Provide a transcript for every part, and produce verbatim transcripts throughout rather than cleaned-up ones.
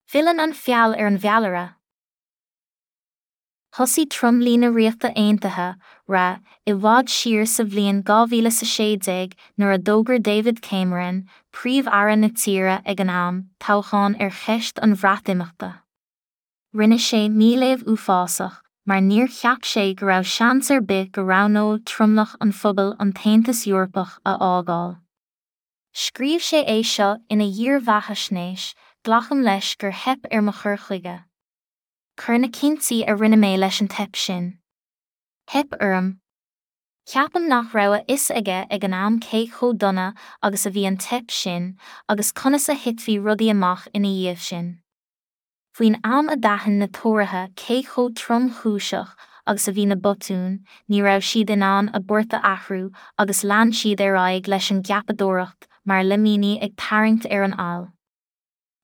Filleann an feall ar an bhfeallaire. Thosaigh tromluí na Ríochta Aontaithe, R A, i bhfad siar sa bhliain dhá mhíle is a sé déag nuair a d'fhógair David Cameron, Príomh-Aire na tíre ag an am, toghchán ar cheist an Bhreatimeachta. Rinne sé míléamh uafásach, mar níor cheap sé go raibh seans ar bith go roghnódh tromlach an phobail an tAontas Eorpach a fhágáil. Scríobh sé é seo ina dhírbheathaisnéis, "Glacaim leis gur theip ar mo chur chuige. Cuir na cinntí a rinne mé leis an teip sin. Theip orm. Ceapaim nach raibh a fhios aige ag an am cé chomh dona agus a bhí an teip sin agus conas a thitfeadh rudaí amach ina dhiaidh sin. Faoin am a d'aithin na Tóraithe cé chomh tromchúiseach agus a bhí na botúin, ní raibh siad in ann a bport a athrú agus lean siad ar aghaidh leis an gceapadóireacht mar limíní ag tarraingt ar an aill.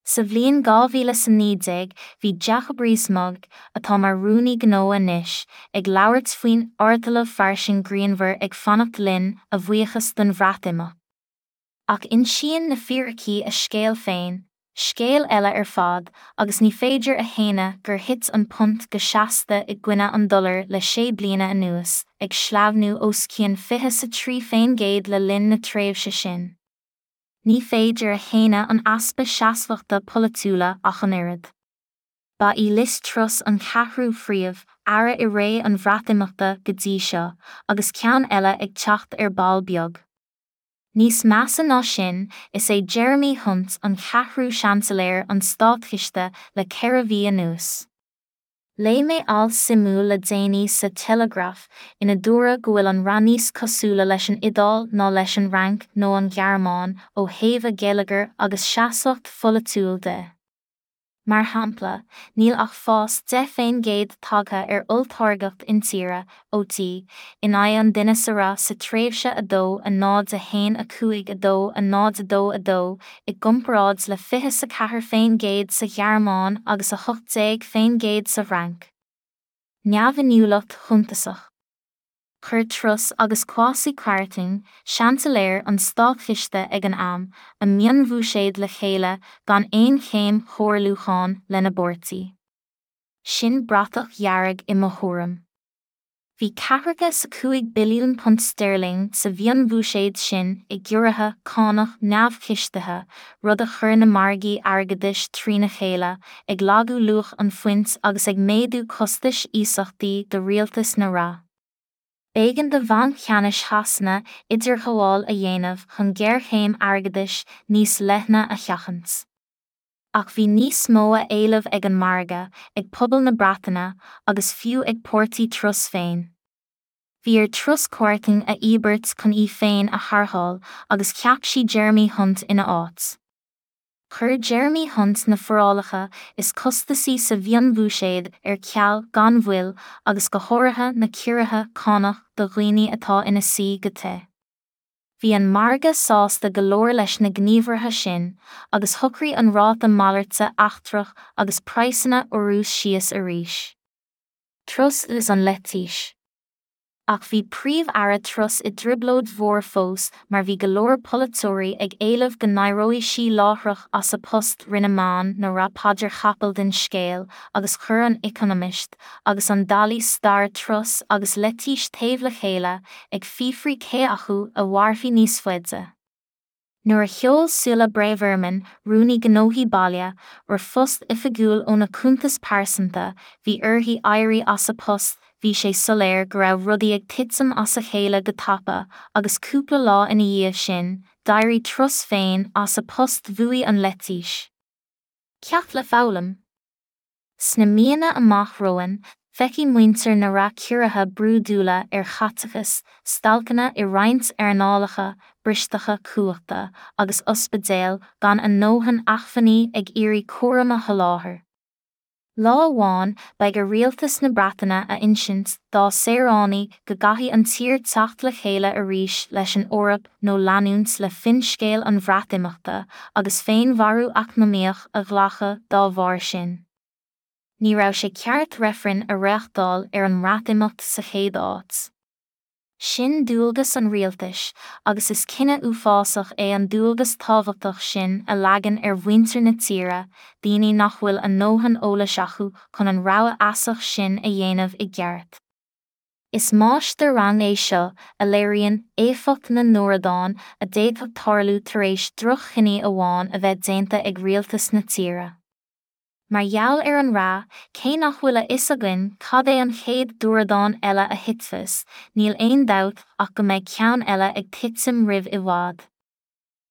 Sa bhliain dhá mhíle is a naoi déag bhí Jacob Rees-Mogg, atá mar Rúnaí Gnó anois, ag labhairt faoin ardtalamh fairsing grianmhar ag fanacht linn a bhuíochas don Bhreatimeacht. Ach insíonn na fíricí a scéal féin, scéal eile ar fad, agus ní féidir a shéanadh gur thit an punt go seasta i gcoinne an dollair le sé bliana anuas, ag sleamhnú os cionn fiche is a trí faoin gcéad le linn na tréimhse sin. Ní féidir a shéanadh an easpa seasmhachta polaitiúla ach an oiread. Ba í Liz Truss an ceathrú phríomh-aire i ré an Bhreatimeachta go dtí seo, agus ceann eile ag teacht ar ball beag. Níos measa ná sin, is é Jeremy Hunt an ceathrú Seansailéir an Státchiste le ceithre mhí anuas. Léigh mé alt suimiúil le déanaí sa Telegraph ina dúradh go bhfuil an R A níos cosúla leis an Iodáil ná leis an Fhrainc nó an Ghearmáin ó thaobh a geilleagair agus seasmhacht pholaitiúil de. Mar shampla, níl ach fás deich faoin gcéad tagtha ar olltáirgeacht intíre, O T, in aghaidh an duine sa R A sa tréimhse a dó a náid a haon a cúig a dó a náid a dó a dó, i gcomparáid le fiche is a ceathair faoin gcéad sa Ghearmáin agus a hocht déag faoin gcéad sa Fhrainc. Neamhinniúlacht shuntasach. Chuir Truss agus Kwasi Kwarteng, Seansailéir an Státchiste ag an am, a mionbhuiséad le chéile gan aon chéim chomhairliúcháin lena bpáirtí. Sin bratach dhearg i mo thuairim. Bhí ceathracha is a cúig billiún punt steirling sa mhionbhuiséad sin i gciorruithe cánach neamhchistithe, rud a chuir na margaí airgeadais trína chéile, ag lagú luach an phuint agus ag méadú costais iasachtaí do rialtas na R A. B'éigean do Bhanc Ceannais Shasana idirghabháil a dhéanamh chun géarchéim airgeadais níos leithne a sheachaint. Ach bhí níos mó a éileamh ag an margadh, ag pobal na Breataine, agus fiú ag páirtí Truss féin. Bhí ar Truss Kwarteng a íobairt chun í féin a tharrtháil agus cheap sí Jeremy Hunt ina áit. Chuir Jeremy Hunt na forálacha is costasaí sa mhionbhuiséad ar ceal gan mhoill agus go háirithe na ciorruithe cánach do dhaoine atá ina suí go te. Bhí an margadh sásta go leor leis na gníomhartha sin, agus shocraigh an ráta malairte eachtrach agus praghsanna urrús síos arís. Truss is an leitís. Ach bhí Príomh-Aire Truss i dtrioblóid mhór fós mar bhí go leor polaiteoirí ag éileamh go n-éireoidh sí láithreach as a post. Rinne meáin na R A paidir chapaill den scéal agus chuir an Economist agus an Daily Star Truss agus leitís taobh le chéile ag fiafraí cé acu a mhairfidh níos faide. Nuair a sheol Suella Braverman, Rúnaí Gnóthaí Baile, r-phost oifigiúil óna cuntas pearsanta, bhí uirthi éirí as a post, bhí sé soiléir go raibh rudaí ag titim as a chéile go tapa, agus cúpla lá ina dhiaidh sin, d'éirigh Truss féin as a post. Bhuaigh an leitís. Ceacht le foghlaim. Sna míonna amach romhainn, feicfidh muintir na R A ciorruithe brúidiúla ar chaiteachas, stailceanna i roinnt earnálacha, bristeacha cumhachta agus ospidéil gan a ndóthain acmhainní ag iarraidh cúram a sholáthar. Lá amháin, beidh ar rialtas na Breataine a insint dá saoránaigh go gcaithfidh an tír teacht le chéile arís leis an Eoraip nó leanúint le finscéal an Bhreatimeachta agus féinmharú eacnamaíoch a ghlacadh dá bharr sin. Ní raibh sé ceart reifreann a reáchtáil ar an mBreatimeacht sa chéad áit. Sin dualgas an rialtais, agus is cinneadh uafásach é an dualgas tábhachtach sin a leagan ar mhuintir na tíre, daoine nach bhfuil a ndóthain eolais acu chun an rogha fheasach sin a dhéanamh i gceart. Is máistir-rang é seo a léiríonn éifeacht na ndúradán a d'fhéadfadh tarlú tar éis droch-chinneadh amháin a bheith déanta ag rialtas na tíre. Mar gheall ar an rath, cé nach bhfuil a fhios againn cad é an chéad dúradán eile a thitfeas, níl aon dabht ach go mbeidh ceann eile ag titim roimh i bhfad.